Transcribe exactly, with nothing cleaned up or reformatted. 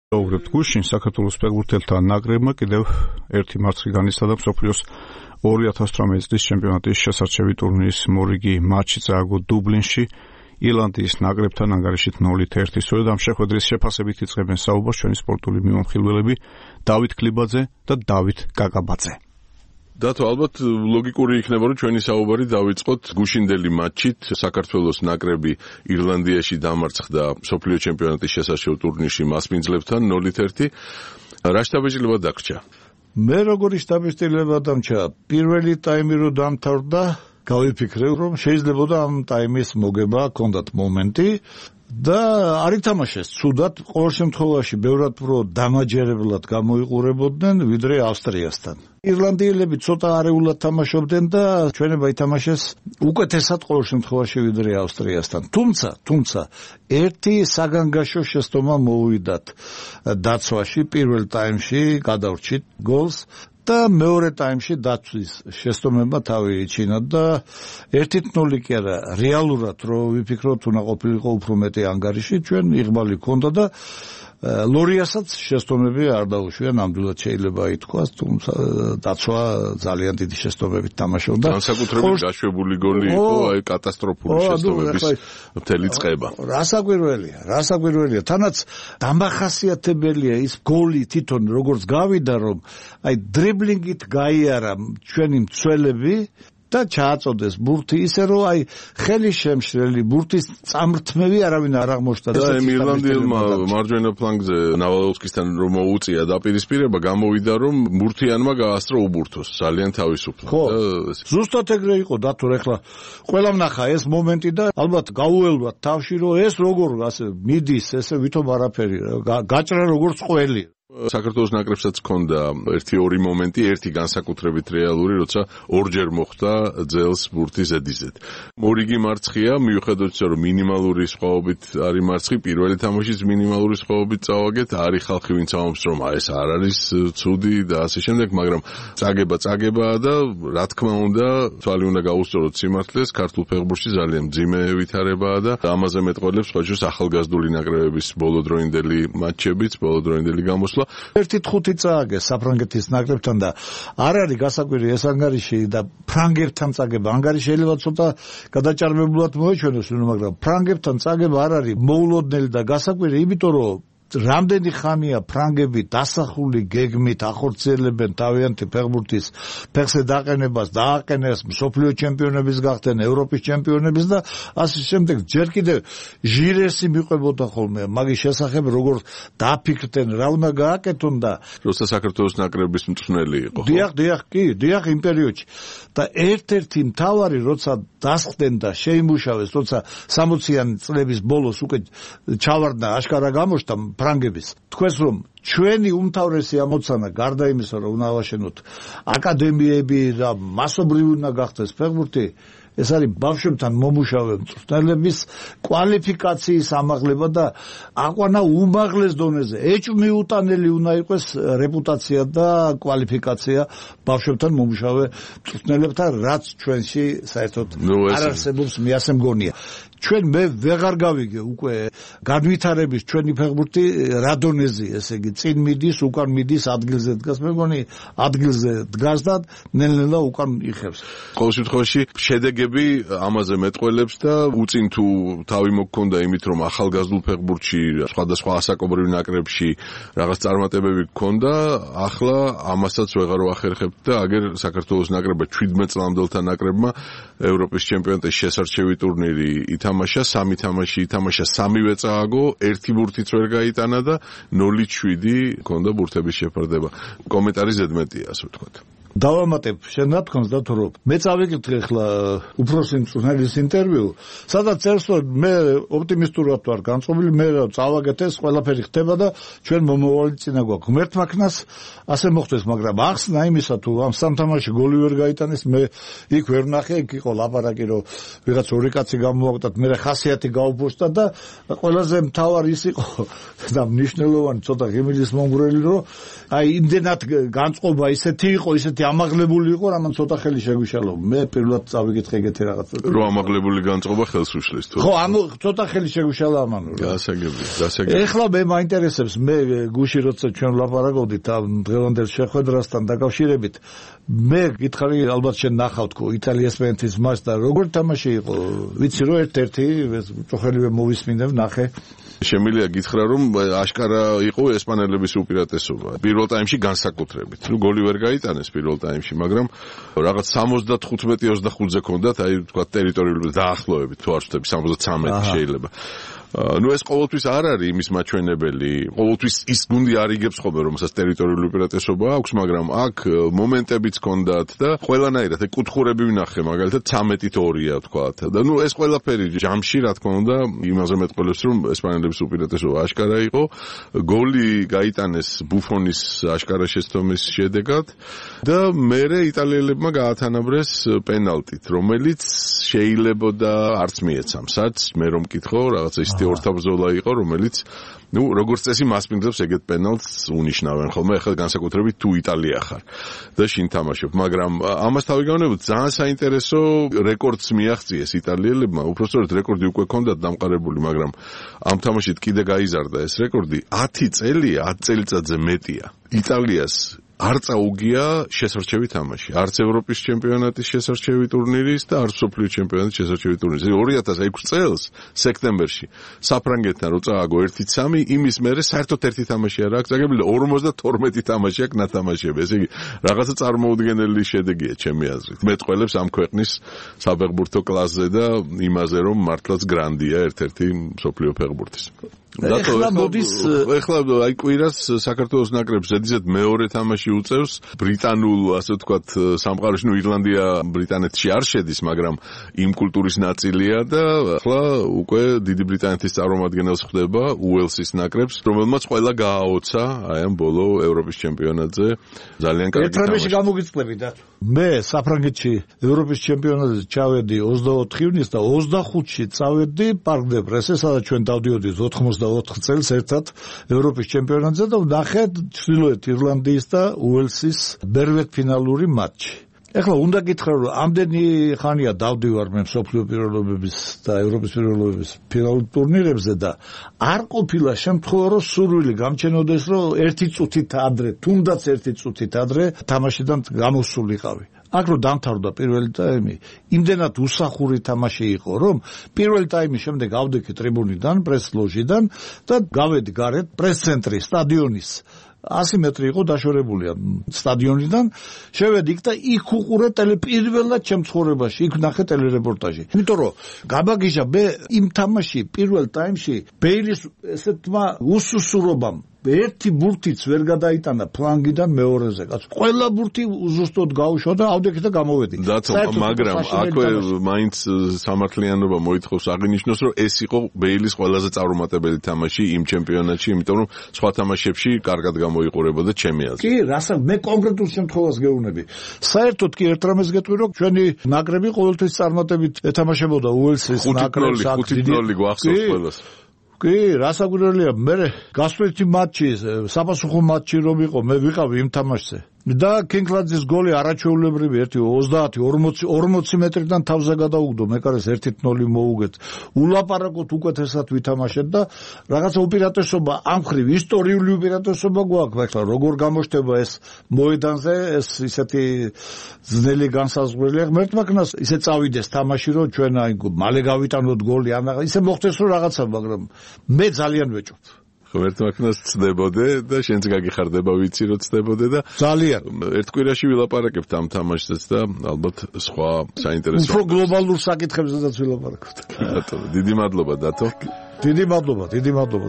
ვუგრებთ გუშინ საქართველოს ფეხბურთელთა ნაკრებმა კიდევ ერთი მარცხი განიცადა მსოფლიოს ორი ათას ოცდაოთხ წლის ჩემპიონატის შესარჩევი ტურნირის მორიგი მატჩი წააგო დუბლინში ირლანდიის ნაკრებთან ანგარიშით ნოლით ერთი. სწორედ ამ შეხვედრის შეფასებით იწყებენ საუბარს ჩვენი სპორტული მიმოხილველები დავით ქლიბაძე და დავით კაკაბაძე. დათო, ალბათ ლოგიკური იქნება, რომ ჩვენი საუბარი დავიწყოთ გუშინდელი მატჩით. საქართველოს ნაკრები ირლანდიაში დამარცხდა მსოფლიო ჩემპიონატის შესარჩევ ტურნირში მასპინძლებთან ნოლით ერთი. რა შთაბეჭდილება დაგრჩა? მე როგორი შთაბეჭდილება დამრჩა, პირველი ტაიმი რო დამთავრდა, გავიფიქრე, რომ შეიძლებოდა ამ ტაიმის მოგება, ჰქონდათ მომენტი და არ ითამაშეს ცუდად, ყოველ შემთხვევაში ბევრად უფრო დამაჯერებლად გამოიყურებოდნენ ვიდრე ავსტრიასთან. ირლანდიელები ცოტა არეულად თამაშობდნენ და ჩვენება ითამაშეს უკეთესად ყოველ შემთხვევაში ვიდრე ავსტრიასთან. თუმცა, თუმცა ერთი საგანგაშო შეცდომა მოვიდათ დაცვაში პირველ ტაიმში, გადავრჩით გოლს და მეორე ტაიმში დაცვის შეცდომებმა თავი იჩინა და ერთი ნული კი არა, რეალურად რო ვიფიქროთ, უნდა ყოფილიყო უფრო მეტი ანგარიში, ჩვენ იღბალი ჰქონდა და ლორიასაც შეცდომები არ დაუშვია, ნამდვილად შეიძლება ითქვას, თუმცა დაცვა ძალიან დიდი შეცდომებით თამაშობდა. განსაკუთრებით გაშვებული გოლი იყო, აი კატასტროფული შეცდომების მთელი წყება. რასაკვირველია, რასაკვირველია, თანაც დამახასიათებელია ის გოლი თვითონ როგორც გავიდა, რომ აი დრიბლინგით გაიარა ჩვენი მცველები და ჩააწოდეს ბურთი ისე რომ აი ხელი შემშლელი ბურთის წამრთმევი არავინ არ აღმოჩნდა და იმ ირლანდიელმა მარჯვენა ფლანგზე ნავალოვსკისთან რომ მოუწია დაპირისპირება გამოვიდა რომ ბურთიანმა გაასწრო უბურთოს ძალიან თავისუფლად და ზუსტად ეგრე იყო დათო ეხლა ყველამ ნახა ეს მომენტი და ალბათ გაუელვათ თავში რომ ეს როგორ ასე მიდის ესე ვითომ არაფერი გაჭრა როგორც ყველი საქართველოს ნაკრებსაც ჰქონდა ერთი ორი მომენტი, ერთი განსაკუთრებით რეალური, როცა ორჯერ მოხვდა ძელს ბურთი ზედიზედ. მორიგი მარცხია, მიუხედავად იმისა, რომ მინიმალური სხვაობით არის მარცხი, პირველი თამაშის მინიმალური სხვაობით წავაგეთ, არის ხალხი, ვინც ამბობს, რომ ეს არ არის ცუდი და ასე შემდეგ, მაგრამ წაგება წაგებაა და რა თქმა უნდა, თვალი უნდა გაუსწოროთ სიმართლეს, ქართულ ფეხბურთში ძალიან მძიმე ვითარებაა და ამაზე მეტყველებს სხვაჯერს ახალგაზრდული ნაკრებების ბოლოდროინდელი მატჩებიც, ბოლოდროინდელი გამოსვლა ერთი ხუთი წააგეს საფრანგეთის ნაკრებთან და არ არის გასაკვირი ეს ანგარიში და ფრანგებთან წაგება ანგარიში შეიძლება ცოტა გადაჭარბებულად მოეჩვენოს, მაგრამ ფრანგებთან წაგება არ არის მოულოდნელი და გასაკვირი, იმიტომ რომ რამდენი ხანია ფრანგები დასახული გეგმით ახორციელებენ თავიანთი ფეხბურთის ფეხზე დაყენებას, დააყენეს მსოფლიო ჩემპიონების გახდნენ, ევროპის ჩემპიონების და ასე შემდეგ. ჯერ კიდევ ჟირესი მიყვებოდა ხოლმე მაგის შესახებ, როგორ დაფიქრდნენ, რა უნდა გააკეთონ და როცა საქართველოს ნაკრების მწვრთნელი იყო. დიახ, დიახ, კი, დიახ იმ პერიოდში. და ერთ-ერთი მთავარი როცა დასხდნენ და შეიმუშავეს, როცა სამოციანი წლების ბოლოს უკვე ჩავარდა აშკარა გამოჩნდა ფრანგების. თქვენს რომ ჩვენი უმთავრესი ამოცანა გარდა იმისა, რომ უნდა ავაშენოთ აკადემიები და მასობრივი უნდა გახდეს ფეხბურთი, ეს არის ბავშვებთან მომუშავე მწვრთნელების კვალიფიკაციის ამაღლება და აყვანა უმაღლეს დონეზე. ეჭვმიუტანელი უნდა იყოს რეპუტაცია და კვალიფიკაცია ბავშვებთან მომუშავე მწვრთნელებთან, რაც ჩვენში საერთოდ არ არსებობს, მე ასე მგონია. ჩვენ მე ვეღარ გავიგე უკვე განვითარების ჩვენი ფეხბურთი რა დონეზე, ესე იგი წინ მიდის, უკან მიდის, ადგილზე დგას, მე მგონი ადგილზე დგას და ნელ-ნელა უკან იხევს. ყოველ შემთხვევაში შედეგები ამაზე მეტყველებს და უწინ თუ თავი მოგქონდა იმით, რომ ახალგაზრდულ ფეხბურთში სხვადასხვა ასაკობრივ ნაკრებში რაღაც წარმატებები გქონდა, ახლა ამასაც ვეღარ ვახერხებთ და აგერ საქართველოს ნაკრება ჩვიდმეტ წლამდელთა ნაკრებმა ევროპის ჩემპიონატის შესარჩევი ტურნირი ითამაშა, სამი თამაში ითამაშა, სამივე წააგო, ერთი ბურთიც ვერ გაიტანა და ნული შვიდი ჰქონდა ბურთების შეფარდება. კომენტარი ზედმეტია, ასე ვთქვათ. დავამატებ შენ ნათქვამს და თუ რომ მე წავიკითხე ახლა უფროსი მწვრთნელის ინტერვიუ, სადაც წერს რომ მე ოპტიმისტურად ვარ განწყობილი, მე წავაგეთ ეს ყველაფერი ხდება და ჩვენ მომავალი წინა გვაქვს. ღმერთმა ქნას ასე მოხდეს, მაგრამ ახსნა იმისა თუ ამ სამ თამაში გოლი ვერ გაიტანეს, მე იქ ვერ ნახე, იქ იყო ლაპარაკი რომ ვიღაც ორი კაცი გამოვაკვდათ, მე ხასიათი გაუფორსდა და ყველაზე მთავარი ის იყო და მნიშვნელოვანი ცოტა ღიმილის მომგვრელი რომ აი იმდენად განწყობა ისეთი იყო, ისეთი ესეთი ამაღლებული იყო, რამან ცოტა ხელი შეგვიშალო. მე პირველად წავიკითხე ეგეთი რაღაცა. რო ამაღლებული განწყობა ხელს უშლის თუ. ხო, ამ ცოტა ხელი შეგვიშალა ამან. გასაგები, გასაგები. ეხლა მე მაინტერესებს, მე გუში როცა ჩვენ ვლაპარაკობდით ამ დღევანდელ შეხვედრასთან დაკავშირებით, მე გითხარი ალბათ შენ ნახავ თქო იტალია-ესპანეთის матч და როგორ თამაში იყო? ვიცი რომ ერთ-ერთი წოხელივე მოვისმინებ, ნახე. შემიძლია გითხრა რომ აშკარა იყო ესპანელების უპირატესობა. პირველ ტაიმში განსაკუთრებით. ნუ გოლი ვერ გაიტანეს პირველ ტაიმში, მაგრამ რაღაც სამოცდათხუთმეტი ოცდახუთზე ქონდათ, აი თქვა ტერიტორიული დაახლოებით, თუ არ ვთქვი სამოცდათვრამეტი შეიძლება. ნუ ეს ყოველთვის არ არის იმის მაჩვენებელი. ყოველთვის ის გუნდი არ იგებს ხოლმე რომ საერთოდ ტერიტორიული უპირატესობა აქვს, მაგრამ აქ მომენტებიც ჰქონდათ და ყველანაირად კუთხურები ვნახე, მაგალითად ცამეტით ორია თქვათ. და ნუ ეს ყველაფერი ჯამში რა თქმა უნდა იმაზე მეტყველებს რომ ესპანელების უპირატესობა აშკარა იყო. გოლი გაიტანეს ბუფონის აშკარა შეცდომის შედეგად და მერე იტალიელებმა გაათანაბრეს პენალტით, რომელიც შეიძლებოდა არც მიეცამსაც, მე რომ მკითხო, რაღაცა ის ორთაბრძოლა იყო, რომელიც ნუ როგორც წესი მასპინძლებს ეგეთ პენალტს უნიშნავენ ხოლმე, ახლა განსაკუთრებით თუ იტალია ხარ და შინ თამაშობ, მაგრამ ამას თავი განვnebოთ ძალიან საინტერესო რეკორდს მიაღწიეს იტალიელებმა, უпростоრად რეკორდი უკვე ჰქონდათ დამყარებული, მაგრამ ამ თამაშით კიდე გაიზარდა ეს რეკორდი, ათი წელია, ათი წელიწადზე მეტია. იტალიას არ წაუგია შესარჩევი თამაში. არც ევროპის ჩემპიონატის შესარჩევი ტურნირის და არც მსოფლიო ჩემპიონატის შესარჩევი ტურნირის. ორი ათას ექვსი წელს სექტემბერში საფრანგეთთან რო წააგო ერთი სამი, იმის მერე საერთოდ ერთი თამაში არ აქვს წაგებული, ორმოცდათორმეტი თამაში აქვს ნათამაშები. ესე იგი, რაღაცა წარმოუდგენელი შედეგია ჩემი აზრით. მეტყველებს ამ ქვეყნის საფეხბურთო კლასზე და იმაზე, რომ მართლაც გრანდია ერთ-ერთი მსოფლიო ფეხბურთის. ეხლა მოდის ეხლა აი კვირას საქართველოს ნაკრებს ზედიზედ მეორე თამაში უწევს ბრიტანულ, ასე ვთქვათ, სამყაროში, ნუ ირლანდია ბრიტანეთში არ შედის, მაგრამ იმ კულტურის ნაწილია და ახლა უკვე დიდი ბრიტანეთის წარმომადგენელს ხდება უელსის ნაკრებს, რომელმაც ყველა გააოცა აი ამ ბოლო ევროპის ჩემპიონატზე ძალიან კარგი თამაში. ერთ-ერთი გამოგიწყლები და მე საფრანგეთში ევროპის ჩემპიონატზე ჩავედი ოცდაოთხ ივნის და ოცდახუთში წავედი პარკ დე პრესზე, სადაც ჩვენ დავდიოდით ოცდაოთხ წელს ერთად ევროპის ჩემპიონატზე და ვნახე ჩრდილოეთ ირლანდიის და უელსის ბერვეტფინალური მატჩი. ეხლა უნდა გითხრა რომ ამდენი ხანია დავდივარ მე მსოფლიო პირველობების და ევროპის პირველობების ფინალურ ტურნირებზე და არ ყოფილა შემთხვევა რომ სურვილი გამჩენოდეს რომ ერთი წუთით ადრე, თუნდაც ერთი წუთით ადრე თამაშიდან გამოსულიყავი. აქ რო დამთავრდა პირველი ტაიმი, იმდენად უსახური თამაში იყო, რომ პირველი ტაიმის შემდეგ ავდექი ტრიბუნიდან, პრეს-ლოჟიდან და გავედი გარეთ პრეს-ცენტრი სტადიონის ასი მეტრი იყო დაშორებულია სტადიონიდან, შევედი იქ და იქ უყურე ტელეპირველად ჩემ ცხოვრებაში, იქ ვნახე ტელერეპორტაჟი. იმიტომ რომ გაბაგიჟა მე იმ თამაში პირველ ტაიმში ბეილის ესეთმა უსუსურობამ ერთი ბურთიც ვერ გადაიტანა ფლანგიდან მეორეზე. კაც ყველა ბურთი უზუსტოდ გაუშვა და ავდექი და გამოვედი. მაგრამ აქვე მაინც სამართლიანობა მოითხოვს აღინიშნოს, რომ ეს იყო ბეილის ყველაზე წარუმატებელი თამაში იმ ჩემპიონატში, იმიტომ რომ სხვა თამაშებში კარგად გამოიყურებოდა ჩემი აზრით. კი, რასაც მე კონკრეტულ შემთხვევას გეუბნები. საერთოდ კი ერთ რამეს გეტყვი, რომ ჩვენი ნაკრები ყოველთვის წარმატებით ეთამაშებოდა უელსის ნაკრებს. ხუთი ნული გვახსოვს ყველას. კი, რასაკვირველია, მე გასვლითი მატჩი, საპასუხო მატჩი რომ იყო, მე ვიყავი იმ თამაშზე. და კინგლანდის გოლი არაჩვეულებრივი ერთი ოცდაათი ორმოცი მეტრიდან თავზე გადაუგდო, მეკარეს ერთი ნული მოუგეთ. ულაპარაკოთ უკეთესად ვითამაშეთ და რაღაცა უპირატესობა ამ ხრივ ისტორიული უპირატესობა გვაქვს, ახლა როგორ გამოჩნდება ეს მოედანზე, ეს ისეთი ძნელი განსაზღვრელი. ღმერთმაკნას ისე წავიდეს თამაში, რომ ჩვენ აი მალე გავიტანოთ გოლი, ან ისე მოხდეს რომ რაღაცა, მაგრამ მე ძალიან ვეჭვობ. ღმერთმაკნას ცდებოდე და შენც გაგიხარდება ვიცი რომ ცდებოდე და ძალიან ერთ კვირაში ვილაპარაკებთ ამ თამაშსაც და ალბათ სხვა საინტერესო უფრო გლობალურ საკითხებზეც ვილაპარაკებთ. ბატონო, დიდი მადლობა დათო. დიდი მადლობა, დიდი მადლობა.